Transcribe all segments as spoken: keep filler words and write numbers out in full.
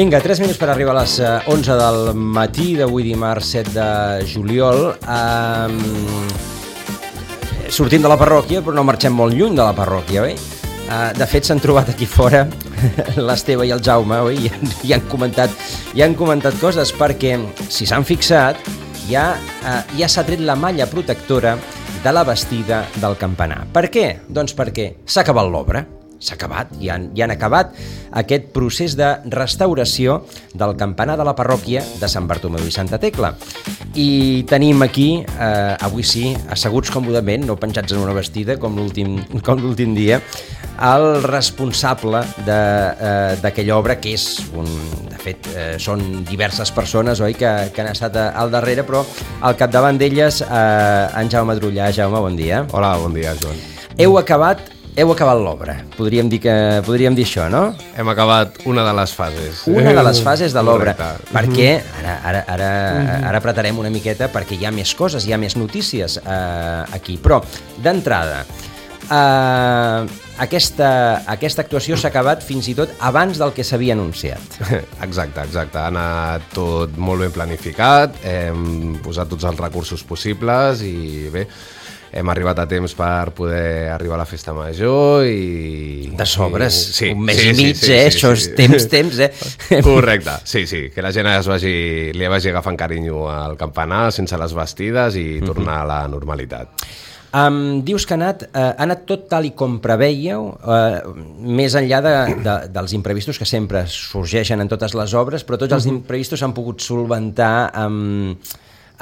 Vinga, tres minuts per arribar a les onze del matí d'avui dimarts set de juliol. Um, sortim de la parròquia, però no marxem molt lluny de la parròquia, oi? Uh, de fet, s'han trobat aquí fora l'Esteve i el Jaume, oi? I, i han comentat, i han comentat coses, perquè, si s'han fixat, ja, uh, ja s'ha tret la malla protectora de la bastida del campanar. Per què? Doncs perquè s'ha acabat l'obra. S'ha acabat, i han, i han acabat aquest procés de restauració del campanar de la parròquia de Sant Bartomeu i Santa Tecla. I tenim aquí, eh, avui sí, asseguts còmodament, no penjats en una bastida com l'últim com l'últim dia, el responsable d'aquella eh, obra, que és un... De fet, eh, són diverses persones, oi, que, que han estat al darrere, però al capdavant d'elles, eh, en Jaume Drullà. Jaume, bon dia. Hola, bon dia, Joan. Heu acabat Heu acabat l'obra, podríem dir que podríem dir això, no? Hem acabat una de les fases. Una de les fases de l'obra. Correcte. Perquè, ara, ara, ara, ara apretarem una miqueta perquè hi ha més coses, hi ha més notícies eh, aquí. Però, d'entrada, eh, aquesta, aquesta actuació s'ha acabat fins i tot abans del que s'havia anunciat. Exacte, exacte. Ha anat tot molt ben planificat, hem posat tots els recursos possibles i bé, hem arribat a temps per poder arribar a la festa major i... De sobres, i... Sí, un mes sí, i mig, sí, sí, eh? Sí, Això és sí. temps, temps, eh? Correcte, sí, sí, que la gent es vagi, li vagi agafant carinyo al campanar sense les bastides i tornar a la normalitat. Um, dius que ha anat, uh, ha anat tot tal i com preveieu, uh, més enllà de, de, dels imprevistos que sempre sorgeixen en totes les obres, però tots els imprevistos s'han pogut solventar amb...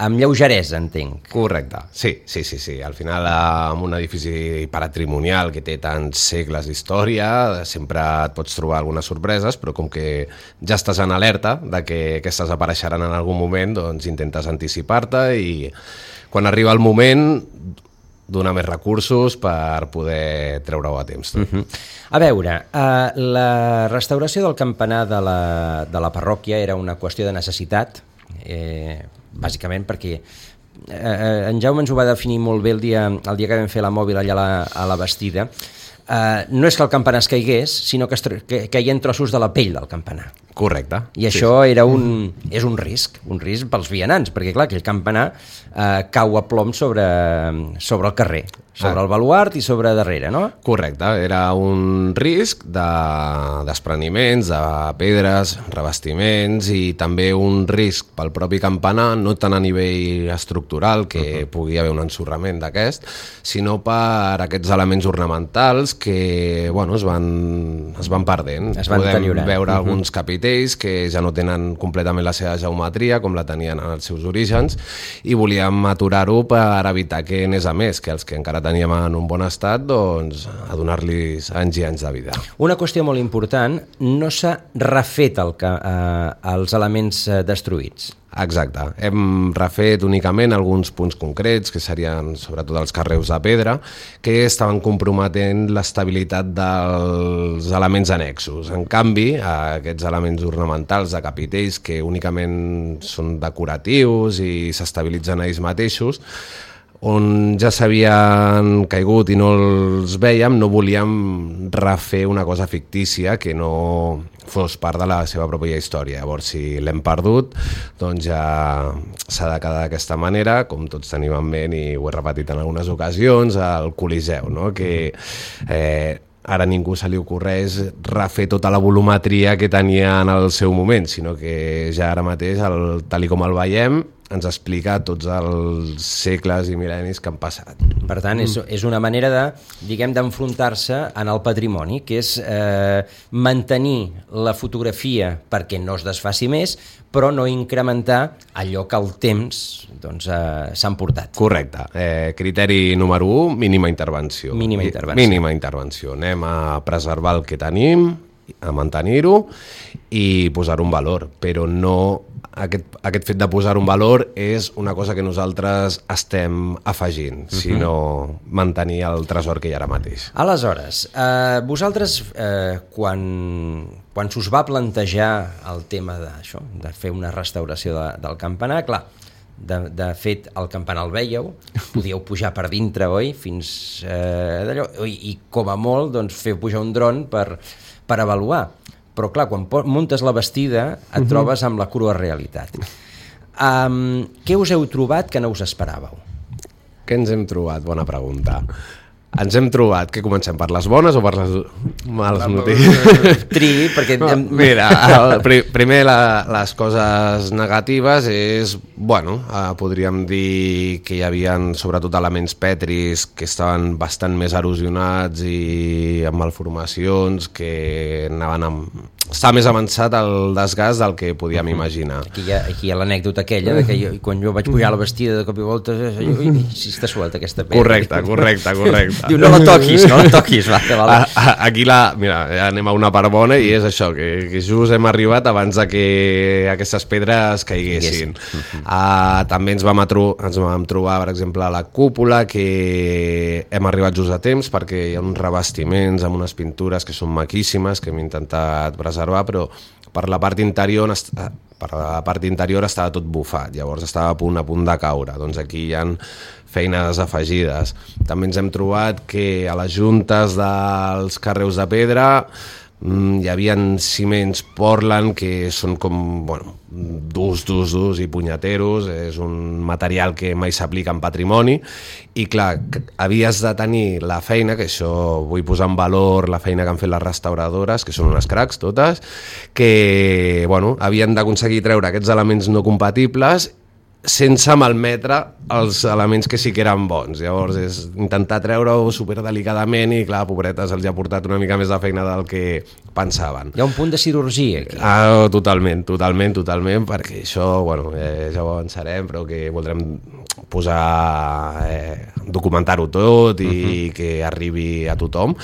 amb lleugeresa, entenc. Correcte, sí, sí, sí, sí. Al final, amb un edifici patrimonial que té tants segles d'història, sempre et pots trobar algunes sorpreses, però com que ja estàs en alerta de que aquestes apareixeran en algun moment, doncs intentes anticipar-te i quan arriba el moment donar més recursos per poder treure-ho a temps. Uh -huh. A veure, uh, la restauració del campanar de la, de la parròquia era una qüestió de necessitat, eh, bàsicament perquè eh, en Jaume ens ho va definir molt bé el dia, el dia que vam fer la mòbil allà a la, a la Bastida. Uh, no és que el campanar es caigués, sinó que, es, que caien trossos de la pell del campanar. Correcte. I això sí. era un, és un risc, un risc pels vianants, perquè clar, aquell campanar uh, cau a plom sobre, sobre el carrer, sobre ah. el baluart i sobre darrere, no? Correcte, era un risc de despreniments, de pedres, revestiments i també un risc pel propi campanar, no tant a nivell estructural, que uh -huh. pugui haver un ensorrament d'aquest, sinó per aquests elements ornamentals que bueno, es, van, es van perdent. Es van Podem deteriorant. veure uh -huh. alguns capitells que ja no tenen completament la seva geometria com la tenien en els seus orígens i volíem aturar-ho per evitar que anés a més, que els que encara teníem en un bon estat, doncs a donar-los anys i anys de vida. Una qüestió molt important, no s'ha refet el que, eh, els elements eh, destruïts. Exacte, hem refet únicament alguns punts concrets, que serien sobretot els carreus de pedra, que estaven comprometent l'estabilitat dels elements annexos. En canvi, aquests elements ornamentals de capitells, que únicament són decoratius i s'estabilitzen a ells mateixos, on ja s'havien caigut i no els vèiem, no volíem refer una cosa fictícia que no fos part de la seva pròpia història. Llavors, si l'hem perdut, doncs ja s'ha de quedar d'aquesta manera, com tots tenim en ment, i ho he repetit en algunes ocasions, al Coliseu, no? que eh, ara a ningú se li ocorreix refer tota la volumetria que tenia en el seu moment, sinó que ja ara mateix, el, tal i com el veiem, ens explica tots els segles i mil·lennis que han passat. Per tant, és, és una manera de, diguem, d'enfrontar-se en el patrimoni, que és eh, mantenir la fotografia perquè no es desfaci més, però no incrementar allò que el temps doncs, eh, s'han portat. Correcte. Eh, criteri número un, mínima intervenció. Mínima intervenció. Mínima intervenció. Anem a preservar el que tenim, a mantenir-ho i posar-ho en valor, però no... Aquest, aquest fet de posar un valor és una cosa que nosaltres estem afegint, uh-huh. sinó mantenir el tresor que hi ha ara mateix. Aleshores, eh, vosaltres, eh, quan, quan s'us va plantejar el tema d'això, de fer una restauració de, del campanar, clar, de, de fet, el campanar el vèieu, podíeu pujar per dintre, oi? Fins eh, d'allò, i, i com a molt, doncs, feu pujar un dron per, per avaluar. però clar, quan muntes la bastida et uh-huh. trobes amb la crua realitat. Um, què us heu trobat que no us esperàveu? Què ens hem trobat? Bona pregunta. Ens hem trobat, que comencem per les bones o per les males notícies? Tri, perquè... No, mira, el, primer la, les coses negatives és, bueno, eh, podríem dir que hi havia sobretot elements petris que estaven bastant més erosionats i amb malformacions, que anaven amb... Està més avançat el desgast del que podíem uh-huh. imaginar. Aquí hi ha, aquí hi ha l'anècdota aquella de que jo, quan jo vaig pujar a la bastida de cop i volta, jo, ui, si està suelta aquesta pedra. Correcte, correcte, correcte. Diu, no la toquis, no la toquis. Va, que val. Aquí la, mira, ja anem a una part bona i és això, que, que just hem arribat abans de que aquestes pedres caiguessin. Uh-huh. Uh, també ens vam, atro, ens vam trobar, per exemple, a la cúpula, que hem arribat just a temps perquè hi ha uns revestiments amb unes pintures que són maquíssimes, que hem intentat preservar, però per la part interior per la part interior estava tot bufat, llavors estava a punt a punt de caure. Doncs aquí hi ha feines afegides. També ens hem trobat que a les juntes dels carreus de pedra hi havia ciments Portland que són com, bueno, durs, durs, durs i punyeteros, és un material que mai s'aplica en patrimoni i clar, havies de tenir la feina, que això vull posar en valor la feina que han fet les restauradores, que són unes cracs totes, que, bueno, havien d'aconseguir treure aquests elements no compatibles sense malmetre els elements que sí que eren bons. Llavors és intentar treure-ho superdelicadament i clar, pobretes, els ha portat una mica més de feina del que pensaven. Hi ha un punt de cirurgia aquí. Ah, totalment, totalment, totalment, perquè això, bueno, eh, ja ho avançarem, però que voldrem posar, eh, documentar-ho tot i uh-huh. que arribi a tothom.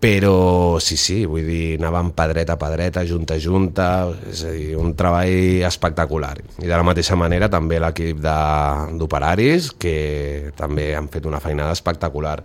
Però sí, sí, vull dir, anàvem pedreta a pedreta, junta a junta, és a dir, un treball espectacular. I de la mateixa manera també l'equip d'operaris, que també han fet una feinada espectacular.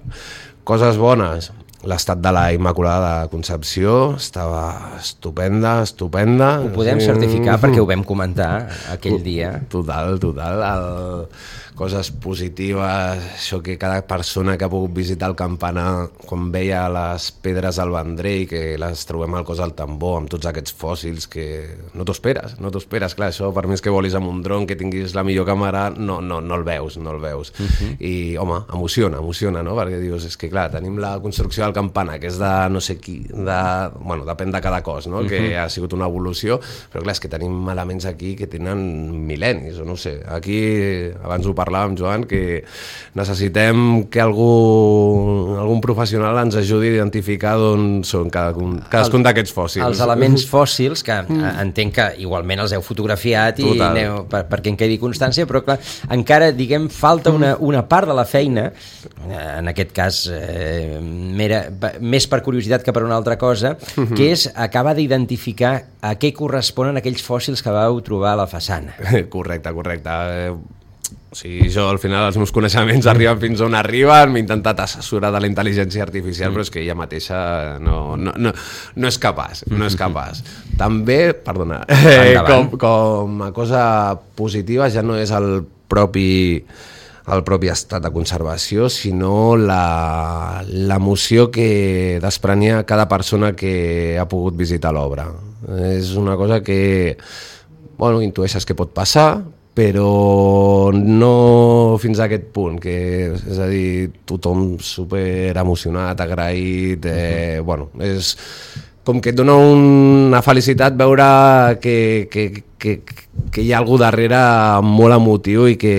Coses bones, l'estat de la Immaculada de Concepció estava estupenda, estupenda. Ho podem certificar perquè ho vam comentar aquell dia. Total, total. El... Coses positives, això que cada persona que ha pogut visitar el campanar, quan veia les pedres al Vendrell, que les trobem al cos del tambor, amb tots aquests fòssils que no t'ho esperes, no t'ho esperes, clar, això per més que volis amb un dron, que tinguis la millor càmera, no, no, no el veus, no el veus. Uh-huh. I, home, emociona, emociona, no? Perquè dius, és que clar, tenim la construcció del campanar, que és de no sé qui, de... bueno, depèn de cada cos, no? Uh-huh. Que ha sigut una evolució, però clar, és que tenim elements aquí que tenen mil·lennis, o no sé, aquí, abans ho parlàvem, Joan, que necessitem que algú, algun professional ens ajudi a identificar d'on són cadascun, cadascun d'aquests fòssils. Els elements fòssils, que entenc que igualment els heu fotografiat i aneu, per, perquè en quedi constància, però clar, encara, diguem, falta una, una part de la feina, en aquest cas eh, mera, més per curiositat que per una altra cosa, que és acabar d'identificar a què corresponen aquells fòssils que vau trobar a la façana. Correcte, correcte. O sigui, jo al final els meus coneixements arriben fins on arriben, m'he intentat assessorar de la intel·ligència artificial, però és que ella mateixa no, no, no, no és capaç, no és capaç. També, perdona, eh, com, com a cosa positiva ja no és el propi, el propi estat de conservació, sinó la, l'emoció que desprenia cada persona que ha pogut visitar l'obra. És una cosa que, bueno, intueixes que pot passar, però no fins a aquest punt, que és a dir, tothom super emocionat, agraït, eh, bueno, és com que et dona una felicitat veure que, que, que, que hi ha algú darrere molt emotiu i que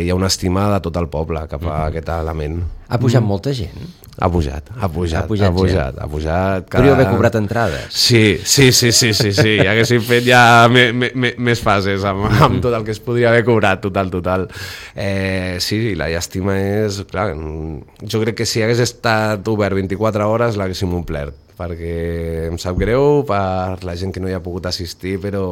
hi ha una estima de tot el poble cap a aquest element. Ha pujat mm. molta gent? Ha pujat, ha pujat, ha pujat, ha pujat, ha pujat cada... Podríeu haver cobrat entrades. Sí, sí, sí, sí, sí, sí. Ja haguéssim fet ja me, me, me, més fases amb, amb tot el que es podria haver cobrat, total, total. Eh, sí, la llàstima és... Clar, jo crec que si hagués estat obert vint-i-quatre hores l'haguéssim omplert, perquè em sap greu per la gent que no hi ha pogut assistir, però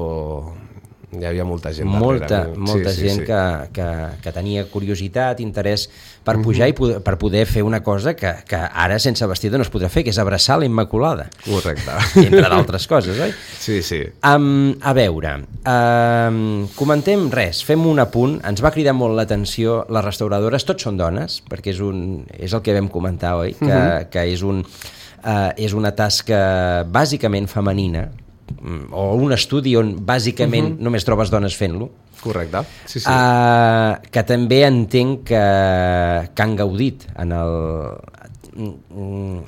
hi havia molta gent molta, darrere. Molta sí, gent sí, sí. Que, que, que tenia curiositat, interès per pujar uh-huh. i poder, per poder fer una cosa que, que ara sense vestida no es podrà fer, que és abraçar la Immaculada. Correcte. Entre d'altres coses, oi? Sí, sí. Um, a veure, um, comentem res, fem un apunt, ens va cridar molt l'atenció, les restauradores, tots són dones, perquè és, un, és el que vam comentar, oi? Que, uh-huh. que és, un, uh, és una tasca bàsicament femenina, o un estudi on bàsicament uh-huh. només trobes dones fent-lo. Correcte, sí, sí. Uh, que també entenc que, que han gaudit en el... Uh, uh,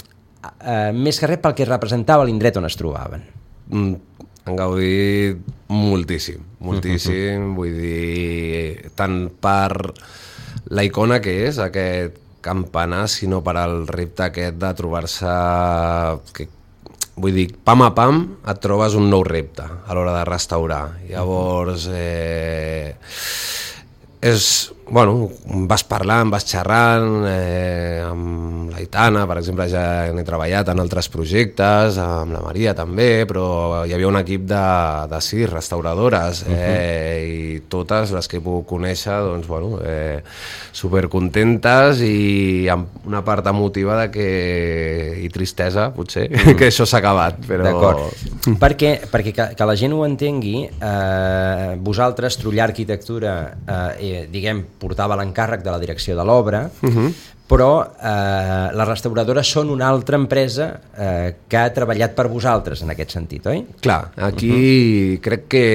més que res pel que representava l'indret on es trobaven. Mm, han gaudit moltíssim, moltíssim, uh-huh. vull dir, tant per la icona que és aquest campanar, sinó per al repte aquest de trobar-se... Que, vull dir, pam a pam et trobes un nou repte a l'hora de restaurar. Llavors, eh, és, bueno, vas parlant, vas xerrant, eh, amb l'Aitana, per exemple, ja n'he treballat en altres projectes, amb la Maria també, però hi havia un equip de, de sis restauradores, eh, uh-huh. i totes les que he pogut conèixer, doncs, bueno, eh, supercontentes i amb una part emotiva de que, i tristesa, potser, mm. que això s'ha acabat. Però... D'acord. perquè perquè que, que la gent ho entengui, eh, vosaltres, Trullà Arquitectura, eh, diguem, portava l'encàrrec de la direcció de l'obra, uh-huh. però eh, les restauradores són una altra empresa eh, que ha treballat per vosaltres en aquest sentit, oi? Clar, aquí uh-huh. crec que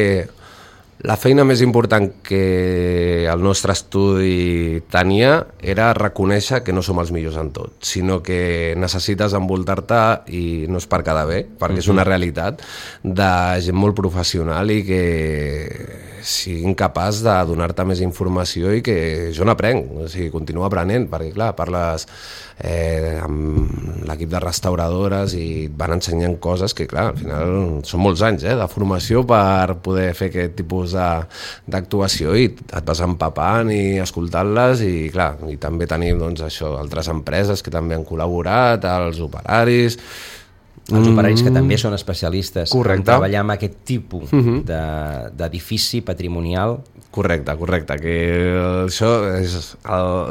la feina més important que el nostre estudi tenia era reconèixer que no som els millors en tot, sinó que necessites envoltar-te, i no és per quedar bé, perquè uh-huh. és una realitat, de gent molt professional i que siguin capaç de donar-te més informació i que jo n'aprenc, o sigui, continuo aprenent, perquè clar, parles eh, amb l'equip de restauradores i et van ensenyant coses que clar, al final són molts anys eh, de formació per poder fer aquest tipus d'actuació i et vas empapant i escoltant-les i clar, i també tenim doncs això, altres empreses que també han col·laborat, els operaris, els operaris que també són especialistes correcte. En treballar amb aquest tipus uh-huh. d'edifici patrimonial. Correcte, correcte, que això és,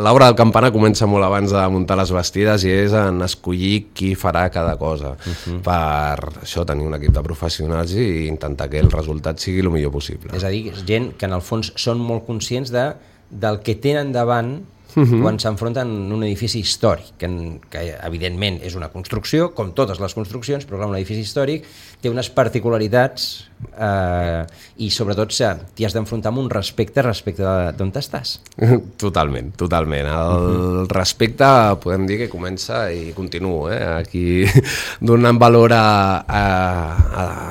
l'obra del campanar comença molt abans de muntar les bastides i és en escollir qui farà cada cosa, uh-huh. per això tenir un equip de professionals i intentar que el resultat sigui el millor possible. És a dir, gent que en el fons són molt conscients de, del que tenen davant Uh-huh. quan s'enfronten en un edifici històric, que, que evidentment és una construcció, com totes les construccions, però clar, un edifici històric té unes particularitats eh, i sobretot t'hi has d'enfrontar amb un respecte respecte d'on estàs. Totalment, totalment. El uh-huh. respecte podem dir que comença i continua, eh? Aquí donant valor a, a,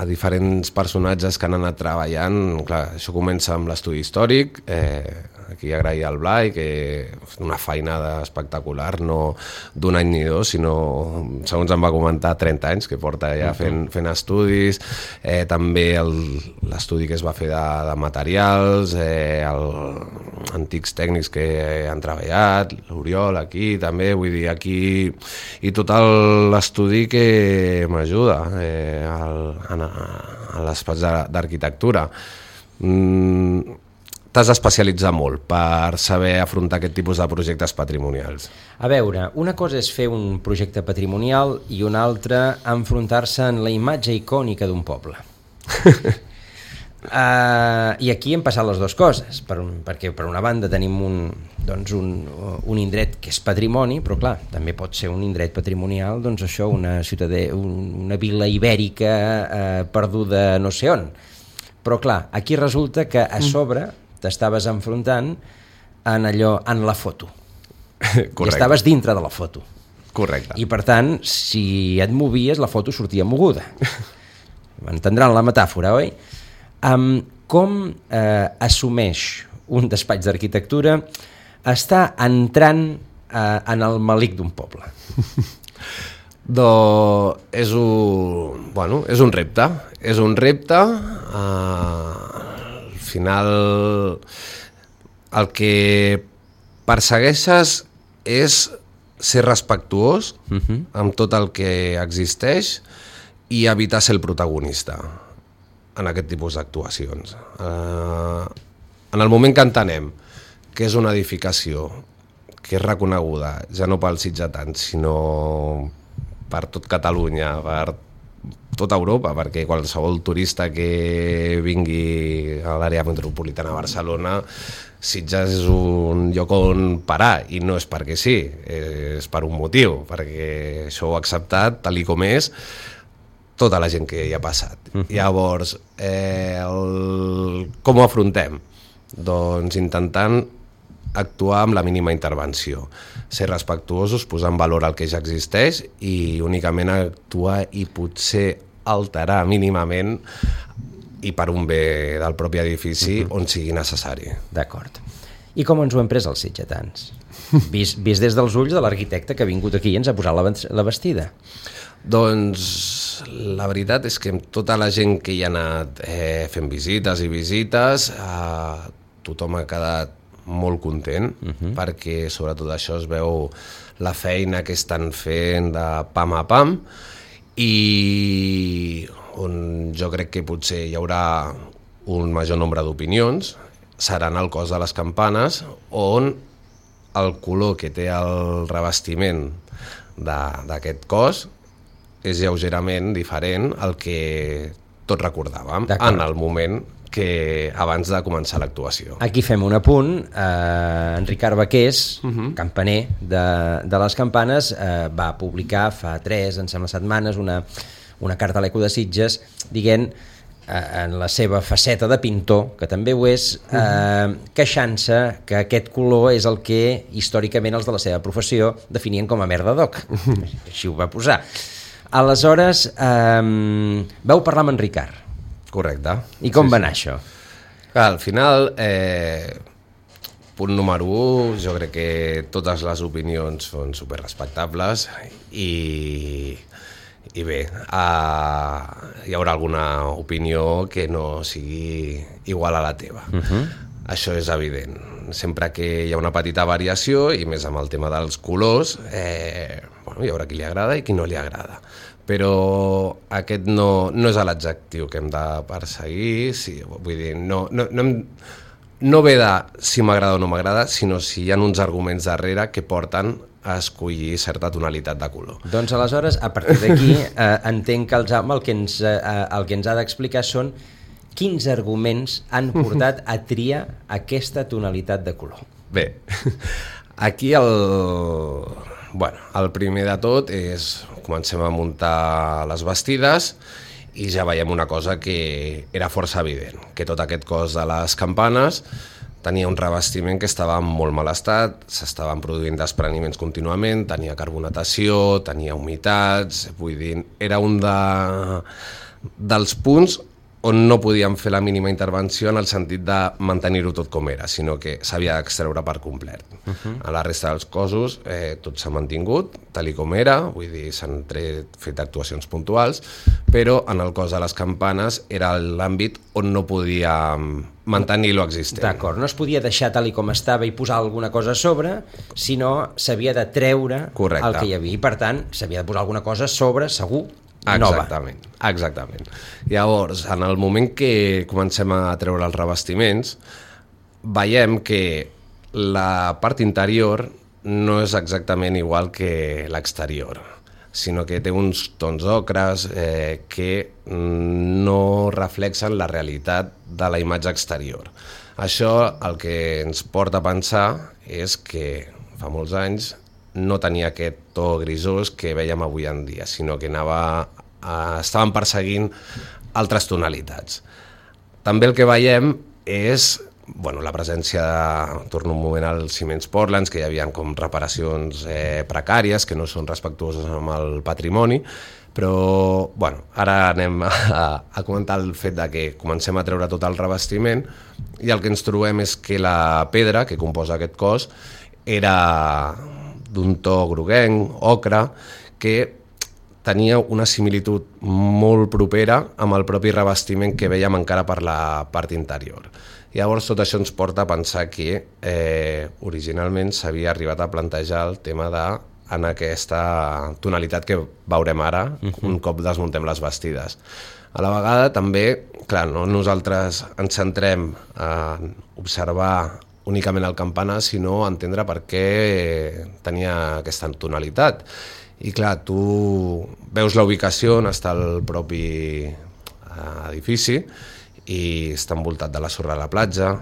a diferents personatges que han anat treballant. Clar, això comença amb l'estudi històric, eh, aquí agrair al Blai, que és una feinada espectacular, no d'un any ni dos, sinó, segons em va comentar, trenta anys, que porta ja fent, fent estudis, eh, també l'estudi que es va fer de, de materials, eh, el, antics tècnics que han treballat, l'Oriol aquí també, vull dir, aquí, i tot l'estudi que m'ajuda eh, a l'espais d'arquitectura. Mm, t'has d'especialitzar molt per saber afrontar aquest tipus de projectes patrimonials. A veure, una cosa és fer un projecte patrimonial i una altra enfrontar-se en la imatge icònica d'un poble. uh, I aquí hem passat les dues coses, per un, perquè per una banda tenim un, doncs un, un indret que és patrimoni, però clar, també pot ser un indret patrimonial, doncs això, una ciutadella, una vila ibèrica uh, perduda no sé on. Però clar, aquí resulta que a sobre t'estaves enfrontant en allò, en la foto. I estaves dintre de la foto. Correcte. I per tant, si et movies, la foto sortia moguda. Entendran la metàfora, oi? Um, com eh, assumeix un despatx d'arquitectura està entrant eh, en el malic d'un poble? Doncs és un, bueno, és un repte. És un repte... Eh, al final el que persegueixes és ser respectuós uh-huh. amb tot el que existeix i evitar ser el protagonista en aquest tipus d'actuacions. Uh, en el moment que entenem que és una edificació que és reconeguda ja no pels sitgetans sinó per tot Catalunya, per tota Europa, perquè qualsevol turista que vingui a l'àrea metropolitana de Barcelona, Sitges és un lloc on parar, i no és perquè sí, és per un motiu, perquè això ho ha acceptat tal i com és, tota la gent que hi ha passat. Uh -huh. Llavors, eh, el... com ho afrontem? Doncs intentant actuar amb la mínima intervenció, ser respectuosos, posar en valor el que ja existeix i únicament actuar i potser alterar mínimament i per un bé del propi edifici uh-huh. on sigui necessari. D'acord. I com ens ho hem pres els sitgetans? Vist, vist des dels ulls de l'arquitecte que ha vingut aquí i ens ha posat la, la vestida. Doncs la veritat és que amb tota la gent que hi ha anat eh, fent visites i visites, eh, tothom ha quedat molt content, uh-huh. perquè sobretot això es veu la feina que estan fent de pam a pam, i on jo crec que potser hi haurà un major nombre d'opinions seran el cos de les campanes, on el color que té el revestiment d'aquest cos és lleugerament diferent al que tots recordàvem en el moment que abans de començar l'actuació. Aquí fem un apunt. Eh, en Ricard Baqués, uh-huh. campaner de, de les campanes, eh, va publicar fa tres, em sembla, setmanes una, una carta a l'Eco de Sitges dient, eh, en la seva faceta de pintor, que també ho és, eh, uh-huh. queixant-se que aquest color és el que històricament els de la seva professió definien com a merda d'oc. Uh-huh. Així ho va posar. Aleshores, eh, vau parlar amb en Ricard. Correcte. I com sí, va anar sí. això? Al final, eh, punt número un, jo crec que totes les opinions són superrespectables i, i bé, eh, hi haurà alguna opinió que no sigui igual a la teva. Uh-huh. Això és evident. Sempre que hi ha una petita variació, i més amb el tema dels colors, eh, bueno, hi haurà qui li agrada i qui no li agrada. Però aquest no, no és l'adjectiu que hem de perseguir, sí, vull dir, no, no, no, hem, no ve de si m'agrada o no m'agrada, sinó si hi ha uns arguments darrere que porten a escollir certa tonalitat de color. Doncs aleshores, a partir d'aquí, eh, entenc que el Jaume el que ens, eh, el que ens ha d'explicar són quins arguments han portat a triar aquesta tonalitat de color. Bé, aquí el... Bueno, el primer de tot és comencem a muntar les bastides i ja veiem una cosa que era força evident, que tot aquest cos de les campanes tenia un revestiment que estava en molt mal estat, s'estaven produint despreniments contínuament, tenia carbonatació, tenia humitats, vull dir, era un de, dels punts on no podíem fer la mínima intervenció en el sentit de mantenir-ho tot com era, sinó que s'havia d'extreure per complet. Uh-huh. A la resta dels cossos eh, tot s'ha mantingut, tal i com era, vull dir, s'han fet actuacions puntuals, però en el cos de les campanes era l'àmbit on no podíem mantenir lo existent. D'acord, no es podia deixar tal i com estava i posar alguna cosa a sobre, sinó s'havia de treure Correcte. El que hi havia, i per tant s'havia de posar alguna cosa a sobre, segur, nova. Exactament, exactament. Llavors, en el moment que comencem a treure els revestiments, veiem que la part interior no és exactament igual que l'exterior, sinó que té uns tons ocres eh, que no reflexen la realitat de la imatge exterior. Això el que ens porta a pensar és que fa molts anys no tenia aquest to grisós que veiem avui en dia, sinó que anava, eh, estaven perseguint altres tonalitats. També el que veiem és bueno, la presència, de, torno un moment als ciments Portlands, que hi havia com reparacions eh, precàries, que no són respectuoses amb el patrimoni, però bueno, ara anem a, a comentar el fet de que comencem a treure tot el revestiment i el que ens trobem és que la pedra que composa aquest cos era d'un to groguenc, ocre, que tenia una similitud molt propera amb el propi revestiment que vèiem encara per la part interior. Llavors tot això ens porta a pensar que eh, originalment s'havia arribat a plantejar el tema de en aquesta tonalitat que veurem ara uh-huh. un cop desmuntem les bastides. A la vegada també, clar, no nosaltres ens centrem a observar únicament el campanar, sinó entendre per què tenia aquesta tonalitat. I clar, tu veus la ubicació on està el propi edifici i està envoltat de la sorra de la platja,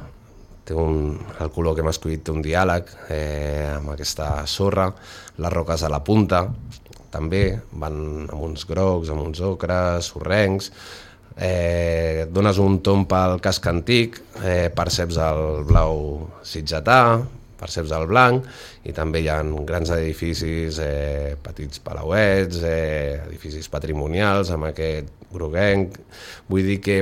té un, el color que hem escollit té un diàleg eh, amb aquesta sorra, les roques a la punta, també, van amb uns grocs, amb uns ocres, sorrencs, eh, dones un tomb pel casc antic, eh, perceps el blau sitgetà, perceps el blanc, i també hi ha grans edificis, eh, petits palauets, eh, edificis patrimonials amb aquest groguenc. Vull dir que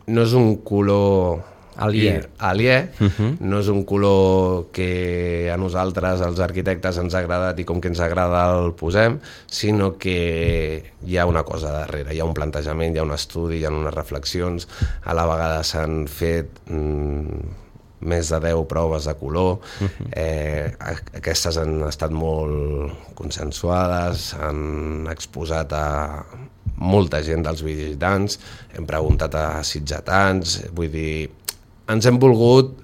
no és un color aliè, aliè uh -huh. no és un color que a nosaltres, els arquitectes, ens ha agradat i com que ens agrada el posem, sinó que hi ha una cosa darrere, hi ha un plantejament, hi ha un estudi, hi ha unes reflexions, a la vegada s'han fet mmm, més de deu proves de color, uh-huh. eh, aquestes han estat molt consensuades, han exposat a molta gent dels visitants, hem preguntat a sitgetans, vull dir, ens hem volgut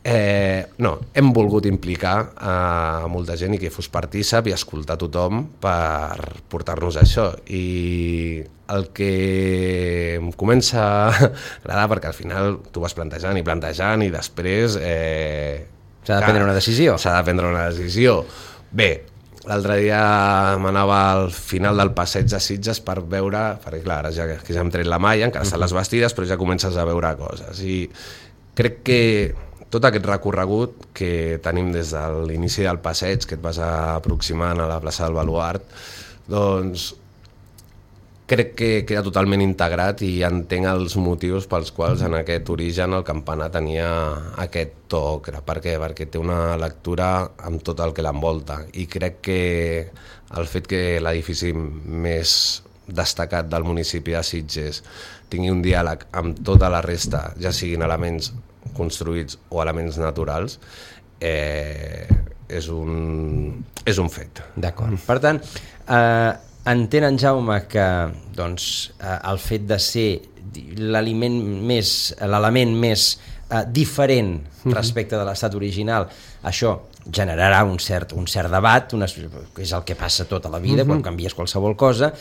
eh, no, hem volgut implicar a molta gent i que fos partícip i escoltar tothom per portar-nos això, i el que em comença a agradar, perquè al final tu vas plantejant i plantejant i després eh, s'ha de prendre una decisió s'ha de prendre una decisió bé, l'altre dia m'anava al final del passeig de Sitges per veure, perquè clar, ara ja, que ja hem tret la malla, encara estan les bastides, però ja comences a veure coses, i crec que tot aquest recorregut que tenim des de l'inici del passeig, que et vas aproximant a la plaça del Baluard, doncs crec que queda totalment integrat i entenc els motius pels quals en aquest origen el campanar tenia aquest to ocre. Per què? Perquè té una lectura amb tot el que l'envolta, i crec que el fet que l'edifici més destacat del municipi de Sitges tingui un diàleg amb tota la resta, ja siguin elements construïts o elements naturals, eh, és, un, és un fet. D'acord. Per tant, eh, entén en Jaume que doncs, eh, el fet de ser l'aliment més, l'element més eh, diferent respecte de l'estat original, això generarà un cert, un cert debat, una, que és el que passa tota la vida, uh-huh. quan canvies qualsevol cosa,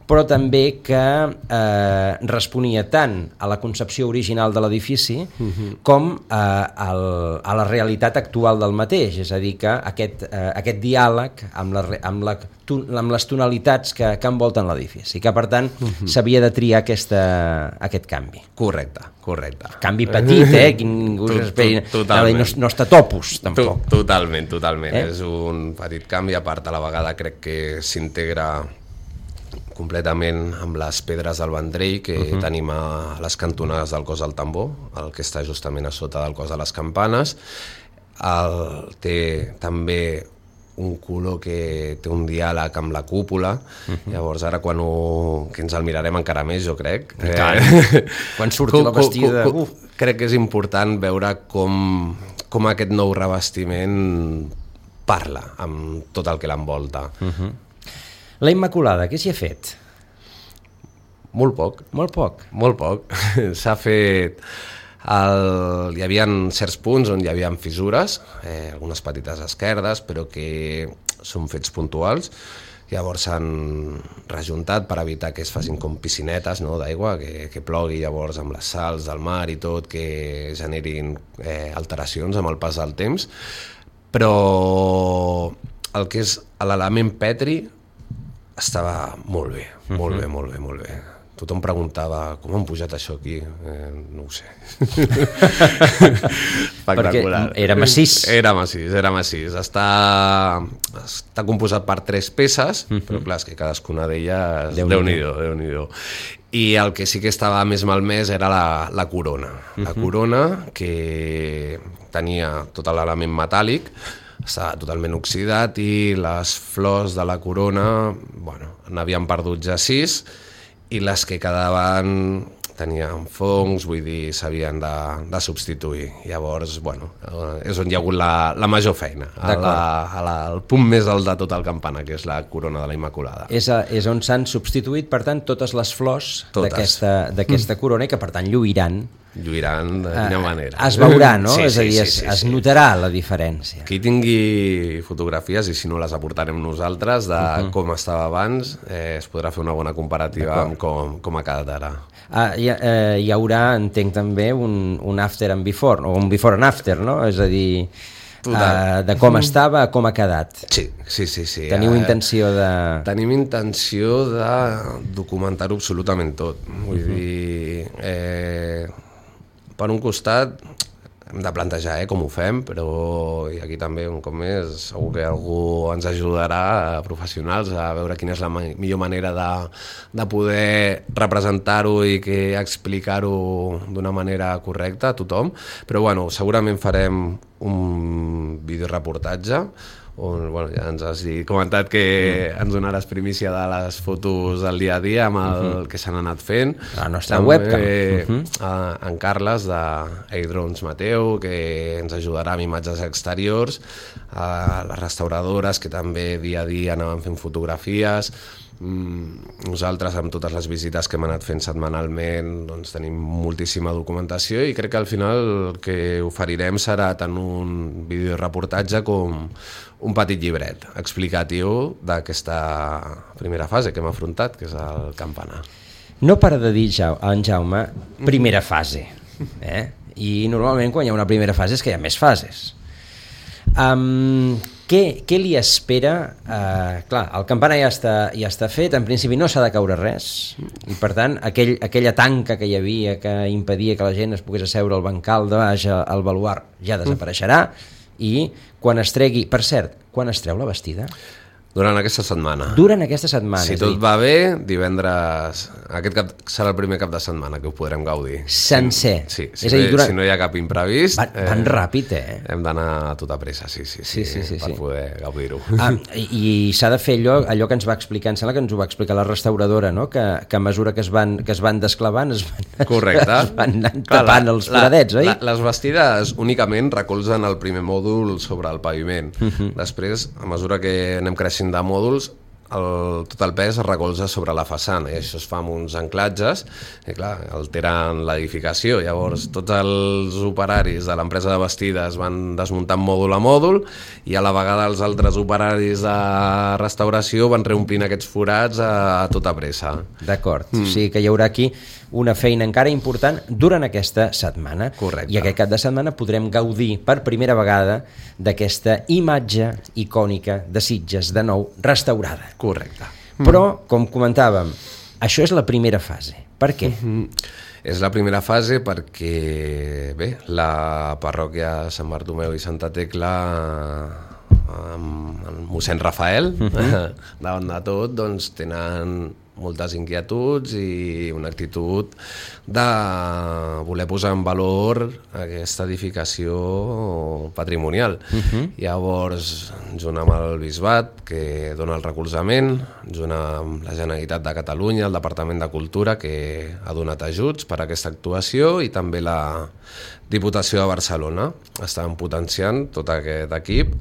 però també que eh, responia tant a la concepció original de l'edifici uh-huh. com eh, al, a la realitat actual del mateix, és a dir, que aquest, eh, aquest diàleg amb, la, amb, la, amb les tonalitats que, que envolten l'edifici, que per tant uh-huh. s'havia de triar aquesta, aquest canvi. Correcte, correcte. Canvi petit, eh? Que ningú s'esperi. No, no està topus, tampoc. Totalment, totalment. Eh? És un petit canvi, a part a la vegada crec que s'integra completament amb les pedres del Vendrell que uh-huh. tenim a les cantonades del cos del tambor, el que està justament a sota del cos de les campanes. El, té també un color que té un diàleg amb la cúpula, uh-huh. llavors ara quan ho, que ens el mirarem encara més, jo crec. Eh, quan surti la vestida... Co, co, crec que és important veure com, com aquest nou revestiment parla amb tot el que l'envolta. Uh-huh. La Immaculada, què s'hi ha fet? Molt poc. Molt poc? Molt poc. S'ha fet... El... Hi havia certs punts on hi havia fissures, eh, algunes petites esquerdes, però que són fets puntuals. Llavors s'han rejuntat per evitar que es facin com piscinetes, no, d'aigua, que, que plogui llavors amb les sals del mar i tot, que generin eh, alteracions amb el pas del temps. Però el que és l'element petri estava molt bé, molt uh-huh. bé, molt bé, molt bé. Tothom preguntava com han pujat això aquí, eh, no ho sé. Perquè era massís. Era massís, era massís. Està, està composat per tres peces, uh-huh. però clar, és que cadascuna d'elles, Déu-n'hi-do, Déu-n'hi-do. I el que sí que estava més malmès era la, la corona. Uh-huh. La corona, que tenia tot l'element metàl·lic, estava totalment oxidat, i les flors de la corona, bueno, n'havien perdut ja sis, i les que quedaven tenien fongs, vull dir, s'havien de, de substituir. Llavors, bueno, és on hi ha hagut la, la major feina, a la, a la, al punt més alt de tot el campanar, que és la corona de la Immaculada. És, a, és on s'han substituït, per tant, totes les flors d'aquesta mm. corona, i que, per tant, lluiran. Lluiran de quina manera. Es veurà, no? Sí, és a dir, sí, es, sí, sí, es sí. notarà la diferència. Qui tingui fotografies, i si no les aportarem nosaltres, de uh-huh. com estava abans, eh, es podrà fer una bona comparativa amb com, com ha quedat ara. Ah, hi, eh, hi haurà, entenc també, un, un after and before, o un before and after, no? És a dir... uh, de com estava a com ha quedat. Sí, sí, sí. sí. Teniu uh, intenció de... Tenim intenció de documentar-ho absolutament tot. Vull uh-huh. dir, eh, per un costat hem de plantejar eh, com ho fem, però i aquí també, un cop més, segur que algú ens ajudarà, a professionals, a veure quina és la ma- millor manera de, de poder representar-ho i que explicar-ho d'una manera correcta a tothom. Però bueno, segurament farem un videoreportatge on, bueno, ja ens has dit, comentat que mm. ens donaràs primícia de les fotos del dia a dia amb el uh-huh. que s'han anat fent. La nostra també, webcam. Uh-huh. a, en Carles de A-Drones Mateu, que ens ajudarà amb imatges exteriors, a les restauradores que també dia a dia anaven fent fotografies. Nosaltres, amb totes les visites que hem anat fent setmanalment, doncs tenim moltíssima documentació i crec que al final el que oferirem serà tant un videoreportatge com un petit llibret explicatiu d'aquesta primera fase que hem afrontat, que és el campanar. No para de dir en Jaume primera fase, eh? I normalment quan hi ha una primera fase és que hi ha més fases. Um, què, què li espera? Uh, clar, el campanar ja està, ja està fet, en principi no s'ha de caure res, i per tant aquell, aquella tanca que hi havia que impedia que la gent es pogués asseure al bancal de baix al baluard ja desapareixerà, i quan es tregui, per cert, quan es treu la Bastida? Durant aquesta setmana. Durant aquesta setmana. Si tot va bé, divendres... Aquest cap serà el primer cap de setmana que ho podrem gaudir. Sencer. Sí, si, és no, a dir, durant... si no hi ha cap imprevist... Van, van eh, ràpid, eh? Hem d'anar a tota pressa, sí, sí, sí, sí, sí, sí per sí. poder gaudir-ho. Ah, I i s'ha de fer allò, allò que ens va explicar, em sembla que ens ho va explicar la restauradora, no? Que, que a mesura que es van, que es van desclavant es van, correcte. Es van tapant els foradets, oi? La, les bastides únicament recolzen el primer mòdul sobre el paviment. Uh-huh. Després, a mesura que anem creixent de mòduls, el, tot el pes es recolza sobre la façana i això es fa amb uns anclatges i clar, alteren l'edificació. Llavors tots els operaris de l'empresa de bastides van desmuntant mòdul a mòdul i a la vegada els altres operaris de restauració van reomplint aquests forats a, a tota pressa. D'acord, mm. o sigui que hi haurà aquí una feina encara important durant aquesta setmana. Correcte. I aquest cap de setmana podrem gaudir per primera vegada d'aquesta imatge icònica de Sitges de nou restaurada. Correcte. Però, com comentàvem, això és la primera fase. Per què? Mm-hmm. És la primera fase perquè, bé, la parròquia Sant Bartomeu i Santa Tecla amb el mossèn Rafael, mm-hmm. davant de tot, doncs tenen moltes inquietuds i una actitud de voler posar en valor aquesta edificació patrimonial. Uh-huh. Llavors, junt amb el Bisbat, que dona el recolzament, junt amb la Generalitat de Catalunya, el Departament de Cultura, que ha donat ajuts per a aquesta actuació, i també la Diputació de Barcelona estan potenciant tot aquest equip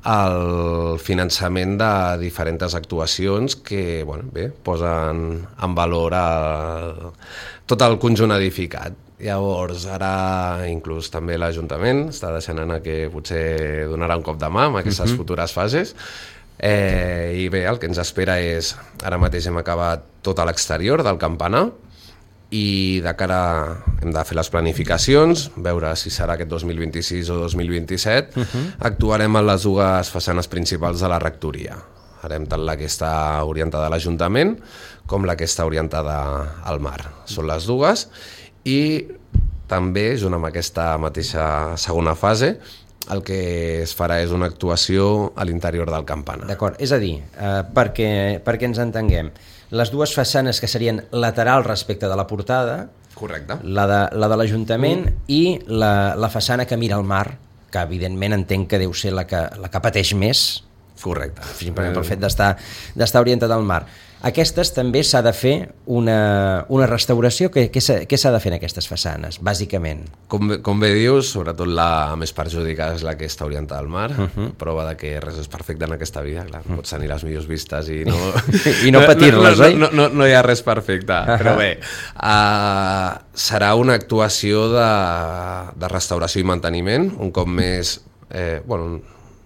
el finançament de diferents actuacions que, bueno, bé, posen en valor el, tot el conjunt edificat. Llavors, ara inclús també l'Ajuntament està deixant anar que potser donarà un cop de mà amb aquestes uh-huh. futures fases. Eh, I bé, el que ens espera és, ara mateix hem acabat tot a l'exterior del campanar, i de cara hem de fer les planificacions, veure si serà aquest dos mil vint-i-sis o dos mil vint-i-set. Uh-huh. Actuarem en les dues façanes principals de la rectoria. Farem tant la que està orientada a l'Ajuntament com la que està orientada al mar. Són les dues, i també, junt amb aquesta mateixa segona fase, el que es farà és una actuació a l'interior del campanar. D'acord, és a dir, eh, perquè, perquè ens entenguem, les dues façanes que serien laterals respecte de la portada, correcte, la de, la de l'Ajuntament mm. i la, la façana que mira al mar, que evidentment entenc que deu ser la que, la que pateix més, correcte, simplement pel fet d'estar d'estar orientada al mar. Aquestes també s'ha de fer una, una restauració. Què, què s'ha de fer en aquestes façanes, bàsicament? Com, com bé dius, sobretot la més perjudicada és la que està orientada al mar, uh-huh. prova de que res és perfecte en aquesta vida, clar, uh-huh. pots tenir les millors vistes i no, I no patir-les, no, oi? No, no, no, no hi ha res perfecte, uh-huh. però bé, uh, serà una actuació de, de restauració i manteniment, un cop més, eh, bueno,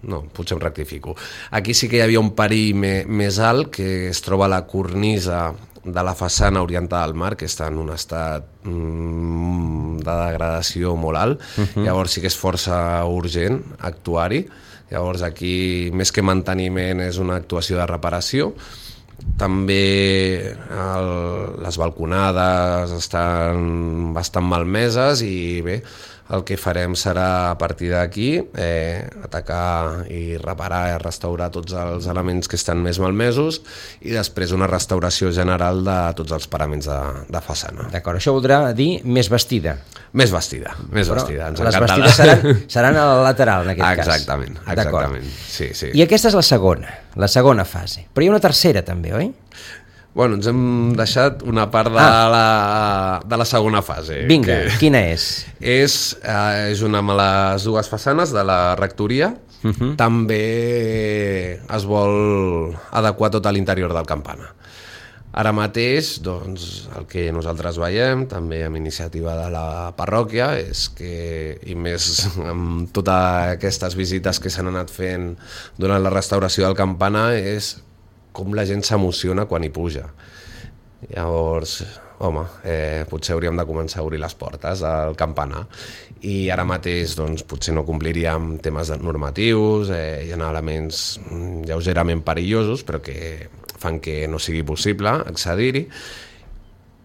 no, potser em rectifico. Aquí sí que hi havia un perill me, més alt, que es troba a la cornisa de la façana orientada al mar, que està en un estat mm, de degradació molt alt, uh-huh. Llavors sí que és força urgent actuar-hi. Llavors aquí, més que manteniment, és una actuació de reparació. També el, les balconades estan bastant malmeses i bé, el que farem serà a partir d'aquí eh, atacar i reparar i restaurar tots els elements que estan més malmesos i després una restauració general de tots els paraments de, de façana. D'acord, això voldrà dir més vestida. Més vestida, més Però vestida. Ens les encanta. vestides seran, seran al lateral, en aquest exactament, cas. Exactament, sí, sí. I aquesta és la segona, la segona fase. Però hi ha una tercera també, oi? Bueno, ens hem deixat una part de, ah. la, de la segona fase. Vinga, que quina és? És, eh, és una de les dues façanes de la rectoria. Uh-huh. També es vol adequar tot a l'interior del campanar. Ara mateix, doncs, el que nosaltres veiem, també amb iniciativa de la parròquia, és que, i més amb totes aquestes visites que s'han anat fent durant la restauració del campanar, és com la gent s'emociona quan hi puja. Llavors, home, eh, potser hauríem de començar a obrir les portes al campanar. I ara mateix doncs, potser no compliríem temes normatius, eh, hi ha elements lleugerament perillosos, però que fan que no sigui possible accedir-hi.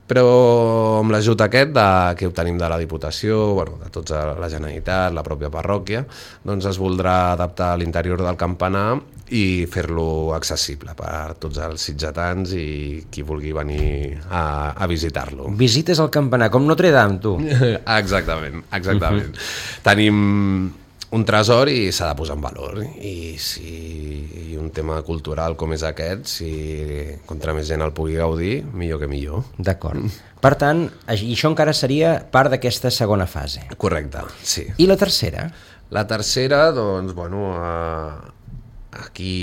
Però amb l'ajut aquest de, que obtenim de la Diputació, bueno, de tota la Generalitat, la pròpia parròquia, doncs es voldrà adaptar a l'interior del campanar i fer-lo accessible per tots els sitgetans i qui vulgui venir a, a visitar-lo. Visites al campanar, com Notre Dame, tu. Exactament, exactament. Uh-huh. Tenim un tresor i s'ha de posar en valor. I si i un tema cultural com és aquest, si contra més gent el pugui gaudir, millor que millor. D'acord. Per tant, això encara seria part d'aquesta segona fase. Correcte, sí. I la tercera? La tercera, doncs, bueno, eh, aquí,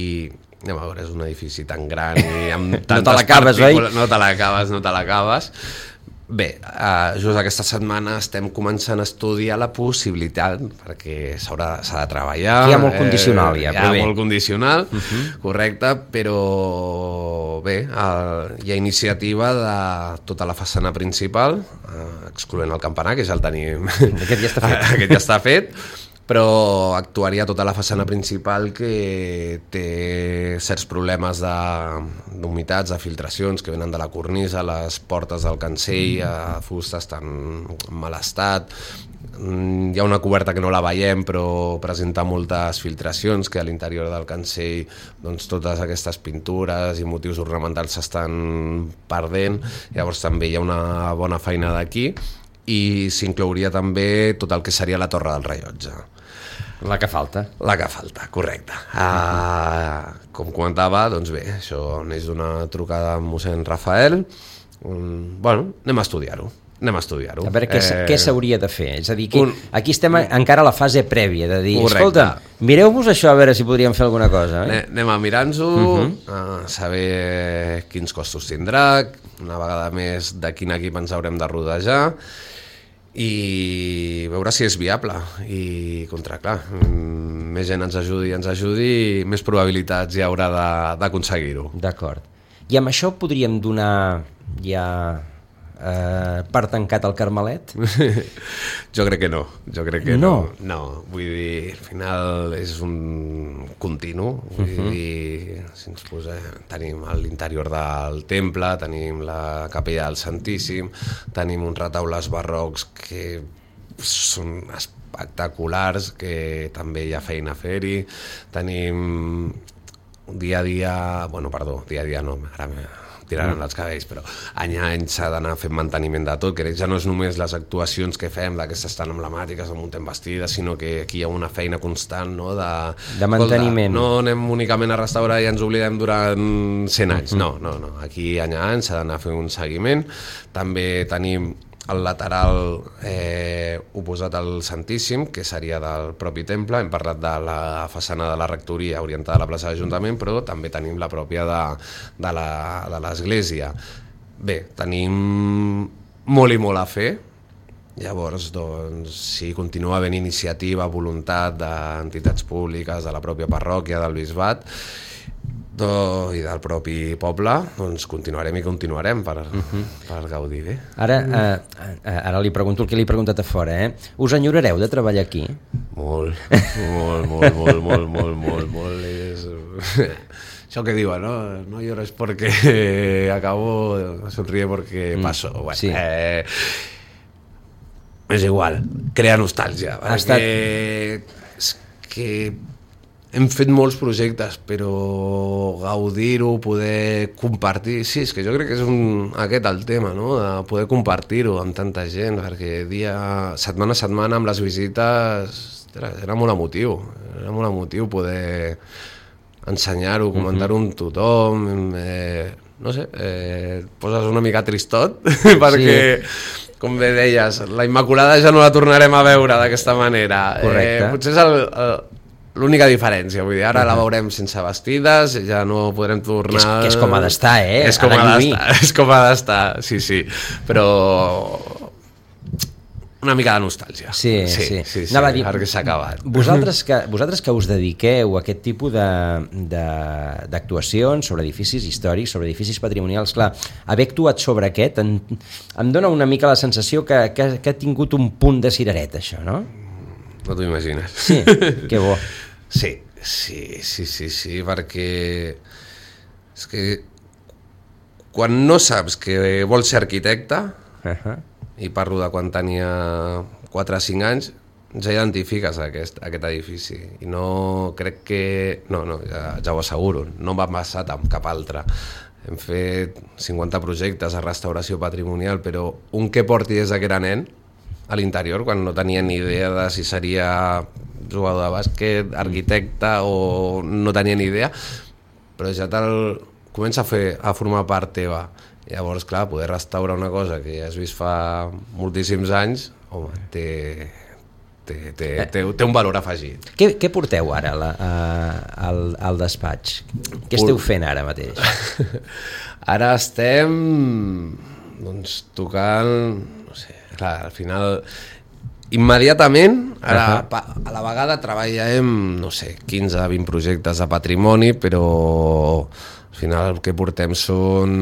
anem a veure, és un edifici tan gran i amb tantes no te l'acabes, oi? No te l'acabes, no te l'acabes. Bé, uh, just aquesta setmana estem començant a estudiar la possibilitat, perquè s'ha de treballar. Hi ha molt condicional, ja, eh, però hi ha bé. molt condicional, uh-huh. Correcte, però bé, uh, hi ha iniciativa de tota la façana principal, uh, excloent el campanar, que ja el tenim. Aquest ja està fet. Aquest ja està fet. Però actuaria tota la façana principal que té certs problemes d'humitats, de, de filtracions que venen de la cornisa, les portes del cancell, a fusta estan en mal estat, hi ha una coberta que no la veiem però presenta moltes filtracions, que a l'interior del cancell doncs, totes aquestes pintures i motius ornamentals s'estan perdent, llavors també hi ha una bona feina d'aquí i s'inclouria també tot el que seria la torre del rellotge. La que falta. La que falta, correcte. Uh, com comentava, doncs bé, això neix d'una trucada amb mossèn Rafael. Um, bueno, anem a estudiar-ho. Anem a estudiar-ho. A veure què, eh... què s'hauria de fer. És a dir, aquí, un... aquí estem encara a la fase prèvia de dir, correcte. Escolta, mireu-vos això a veure si podríem fer alguna cosa. Eh? Anem a mirar-nos-ho, uh-huh. a saber quins costos tindrà, una vegada més de quin equip ens haurem de rodejar, i veure si és viable i contra, clar, més gent ens ajudi ens ajudi, més probabilitats hi haurà d'aconseguir-ho. D'acord. I amb això podríem donar ja eh, per tancat el Carmelet? Jo crec que no, jo crec que no. no. No, vull dir, al final és un continu, vull uh-huh. dir, si ens posem, tenim l'interior del temple, tenim la capella del Santíssim, tenim uns retaules barrocs que són espectaculars, que també hi ha feina a fer-hi, tenim dia a dia, bueno, perdó, dia a dia no, ara tiraran els cabells, però any a any s'ha d'anar fent manteniment de tot, que ja no és només les actuacions que fem d'aquestes tan emblemàtiques amb un temps vestida, sinó que aquí hi ha una feina constant, no? de, de manteniment. Escolta, no anem únicament a restaurar i ens oblidem durant cent anys, no, no, no. Aquí any a any s'ha d'anar a fer un seguiment. També tenim el lateral eh, oposat al Santíssim, que seria del propi temple. Hem parlat de la façana de la rectoria orientada a la plaça d'Ajuntament, però també tenim la pròpia de, de l'església. Bé, tenim molt i molt a fer. Llavors, doncs, si continua havent iniciativa, voluntat d'entitats públiques, de la pròpia parròquia, del bisbat, Do, i del propi poble, doncs continuarem i continuarem per, uh-huh. per gaudir bé. Ara, uh, ara li pregunto el que li he preguntat a fora, eh? Us enyorareu de treballar aquí? Molt, molt, molt, molt, molt, molt, molt, molt. És... Això que diuen, no? No llores porque acabo, sonríe porque paso. Mm, bueno, sí. eh, és igual, crea nostàlgia. Ha estat... És que hem fet molts projectes, però gaudir-ho, poder compartir... Sí, és que jo crec que és un, aquest el tema, no? De poder compartir-ho amb tanta gent, perquè dia, setmana a setmana amb les visites era molt emotiu, era molt emotiu poder ensenyar-ho, comentar-ho amb tothom, eh, no sé, eh, poses una mica tristot, perquè... Sí. Com bé deies, la Immaculada ja no la tornarem a veure d'aquesta manera. Correcte. Eh, potser és el, el, l'única diferència, vull dir, ara uh-huh. la veurem sense vestides, ja no podrem tornar... Que és, que és com ha d'estar, eh? És com ha d'estar, és com ha d'estar, sí, sí, però una mica de nostàlgia. Sí, sí, sí, sí, sí Anava a dir, perquè s'ha acabat. Vosaltres que, vosaltres que us dediqueu a aquest tipus d'actuacions sobre edificis històrics, sobre edificis patrimonials, clar, haver actuat sobre aquest en, em dona una mica la sensació que, que, que ha tingut un punt de cirereta, això, no? No t'ho imagines. Sí, que bo. Sí, sí, sí, sí, sí, perquè és que quan no saps que vols ser arquitecte, uh-huh. i parlo de quan tenia quatre o cinc anys, ja identifiques aquest, aquest edifici i no crec que... No, no, ja, ja ho asseguro, no m'ha passat amb cap altre. Hem fet cinquanta projectes a restauració patrimonial, però un que porti des que era nen a l'interior, quan no tenia ni idea de si seria jugador de bàsquet, arquitecte o no tenia ni idea, però ja te'l comença a, fer, a formar part teva. Llavors, clar, poder restaurar una cosa que ja has vist fa moltíssims anys, home, té, té, té, té, té un valor afegit. Què, què porteu ara la, a, al, al despatx? Què esteu fent ara mateix? Ara estem doncs, tocant, no sé, clar, al final... Immediatament, ara, uh-huh. a la vegada treballem, no sé, quinze a vint projectes de patrimoni, però al final el que portem són...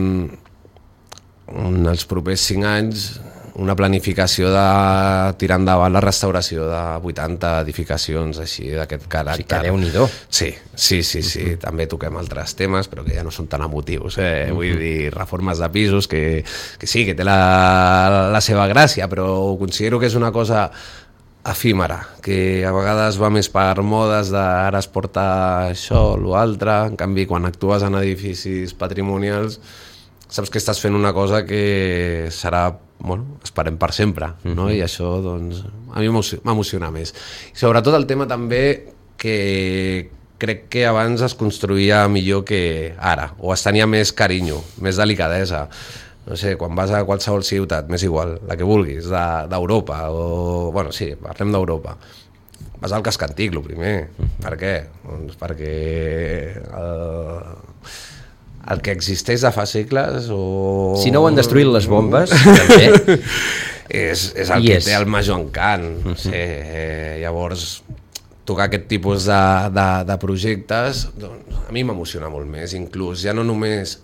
en els propers cinc anys una planificació de tirar endavant la restauració de vuitanta edificacions així d'aquest caràcter. Sí, que Déu-n'hi-do. Sí, sí, sí, sí. Uh-huh. També toquem altres temes, però que ja no són tan emotius. Eh? Uh-huh. Vull dir, reformes de pisos, que, que sí, que té la, la seva gràcia, però considero que és una cosa efímera, que a vegades va més per modes de ara es porta això o l'altre. En canvi, quan actues en edificis patrimonials saps que estàs fent una cosa que serà, bueno, esperem per sempre, no? Uh-huh. I això, doncs, a mi m'emociona més. I sobretot el tema també que crec que abans es construïa millor que ara, o es tenia més carinyo, més delicadesa. No sé, quan vas a qualsevol ciutat, m'és igual, la que vulguis, d'Europa, o, bueno, sí, parlem d'Europa, vas al casc antic, el primer. Uh-huh. Per què? Doncs perquè... El... el que existeix de fa segles o... Si no ho han destruït les bombes, també. és, és el I que és. té el major encant. Uh-huh. Sí, eh, llavors, tocar aquest tipus de, de, de projectes, doncs, a mi m'emociona molt més. Inclús ja no només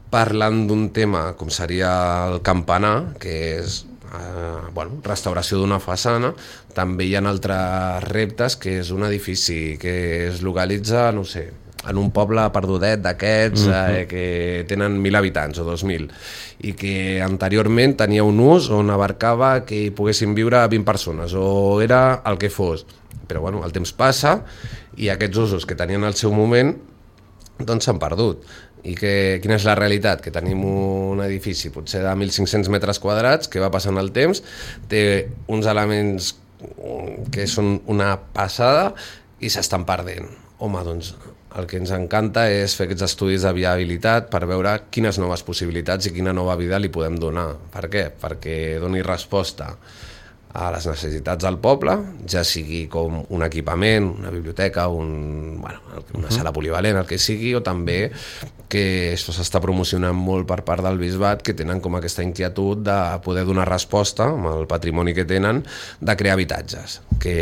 parlant d'un tema com seria el campanar, que és eh, bueno, restauració d'una façana, també hi ha altres reptes, que és un edifici que es localitza, no sé, en un poble perdudet d'aquests uh-huh. eh, que tenen mil habitants o dos mil i que anteriorment tenia un ús on abarcava que hi poguessin viure vint persones o era el que fos, però bueno, el temps passa i aquests usos que tenien al seu moment doncs s'han perdut. I que, quina és la realitat? Que tenim un edifici potser de mil cinc-cents metres quadrats que va passant el temps, té uns elements que són una passada i s'estan perdent. Home, doncs el que ens encanta és fer aquests estudis de viabilitat per veure quines noves possibilitats i quina nova vida li podem donar. Per què? Perquè doni resposta a les necessitats del poble, ja sigui com un equipament, una biblioteca, un, bueno, una sala polivalent, el que sigui, o també que això s'està promocionant molt per part del bisbat, que tenen com aquesta inquietud de poder donar resposta amb el patrimoni que tenen de crear habitatges, que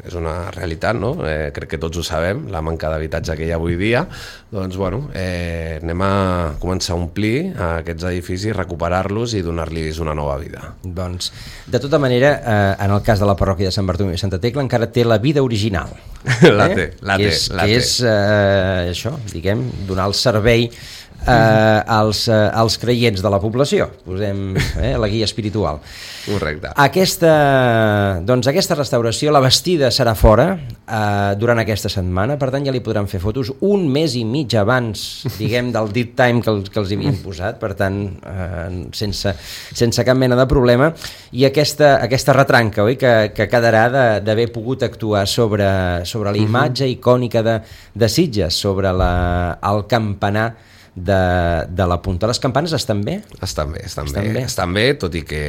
és una realitat, no? Eh, crec que tots ho sabem, la manca d'habitatge que hi ha avui dia. Doncs, bueno, eh, anem a començar a omplir aquests edificis, recuperar-los i donar-los una nova vida. Doncs, de tota manera, eh, en el cas de la parròquia de Sant Bartomeu i Santa Tecla encara té la vida original. La té, la té. Que és, la que té. és eh, això, diguem, donar el servei eh, als, eh, als creients de la població, posem eh, la guia espiritual. Correcte. Aquesta, doncs aquesta restauració, la bastida serà fora eh, durant aquesta setmana, per tant ja li podran fer fotos un mes i mig abans, diguem, del dead time que, el, que els havien posat, per tant, eh, sense, sense cap mena de problema, i aquesta, aquesta retranca, oi, que, que quedarà d'haver pogut actuar sobre, sobre la imatge icònica de, de Sitges, sobre la, el campanar de, de la punta. Les campanes estan bé? Estan bé, estan, estan bé. bé. Estan bé, tot i que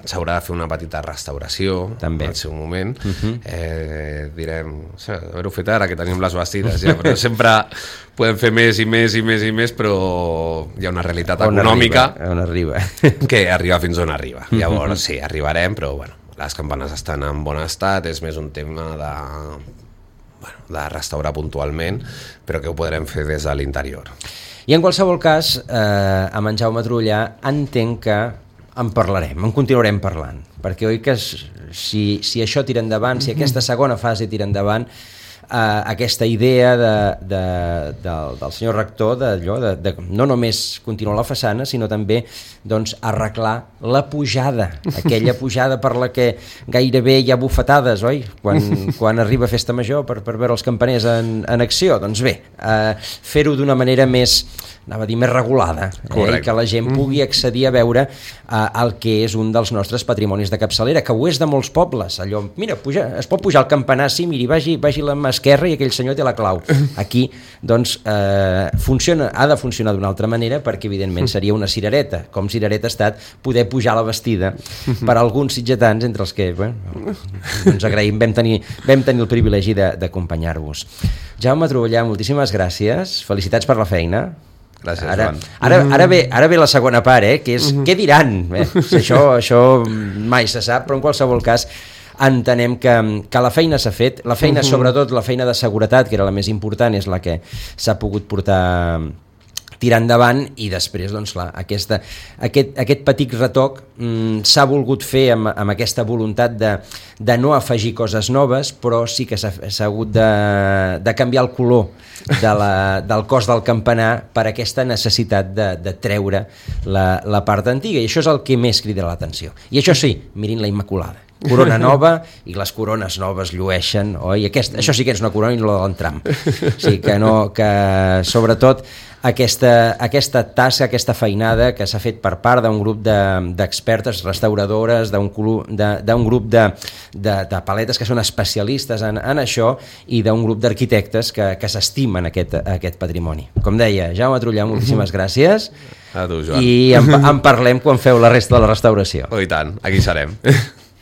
s'haurà de fer una petita restauració també al seu moment. Uh-huh. eh, direm, haver-ho fet ara que tenim les bastides ja, però sempre podem fer més i més i més i més, però hi ha una realitat on econòmica arriba, on arriba. que arriba fins on arriba. Llavors sí, arribarem, però bueno, les campanes estan en bon estat, és més un tema de, bueno, de restaurar puntualment, però que ho podrem fer des de l'interior. I en qualsevol cas, eh, amb en Jaume Trullà entenc que en parlarem, en continuarem parlant, perquè oi que si, si això tira endavant, si aquesta segona fase tira endavant, eh, aquesta idea de, de, del, del senyor rector de, de, de no només continuar la façana, sinó també doncs, arreglar la pujada, aquella pujada per la que gairebé hi ha bufetades, oi? Quan, quan arriba Festa Major per, per veure els campaners en, en acció. Doncs bé, eh, fer-ho d'una manera més, anava a dir, més regulada, eh? Que la gent pugui accedir a veure eh, el que és un dels nostres patrimonis de capçalera, que ho és de molts pobles. Allò, mira, puja, es pot pujar al campanar, sí, miri, vagi, vagi a la mà esquerra i aquell senyor té la clau. Aquí, doncs, eh, funciona, ha de funcionar d'una altra manera, perquè evidentment seria una cirereta, com cirereta ha estat poder pujar a la bastida per alguns sitgetans, entre els que bueno, ens agraïm, vam tenir, vam tenir el privilegi d'acompanyar-vos. Jaume Trullà, moltíssimes gràcies, felicitats per la feina. Gràcies, ara, Joan. Ara, ara, ve, ara ve la segona part, eh, que és què diran? Eh? Això, això mai se sap, però en qualsevol cas entenem que, que la feina s'ha fet, la feina, sobretot la feina de seguretat, que era la més important, és la que s'ha pogut portar tirar endavant, i després doncs, clar, aquesta, aquest, aquest petit retoc mm, s'ha volgut fer amb, amb aquesta voluntat de, de no afegir coses noves, però sí que s'ha hagut de, de canviar el color de la, del cos del campanar per aquesta necessitat de, de treure la, la part antiga, i això és el que més crida l'atenció. I això sí, mirin la Immaculada, corona nova, i les corones noves llueixen, oi? Aquest, això sí que és una corona i no la de l'entram. Sí, que no, que sobretot aquesta, aquesta tasca, aquesta feinada que s'ha fet per part d'un grup d'expertes, de, restauradores, d'un grup de, de, de paletes que són especialistes en, en això, i d'un grup d'arquitectes que, que s'estimen aquest, aquest patrimoni. Com deia, Jaume Trullà, moltíssimes gràcies. A tu, Joan. I en, en parlem quan feu la resta de la restauració. Oh, i tant, aquí serem.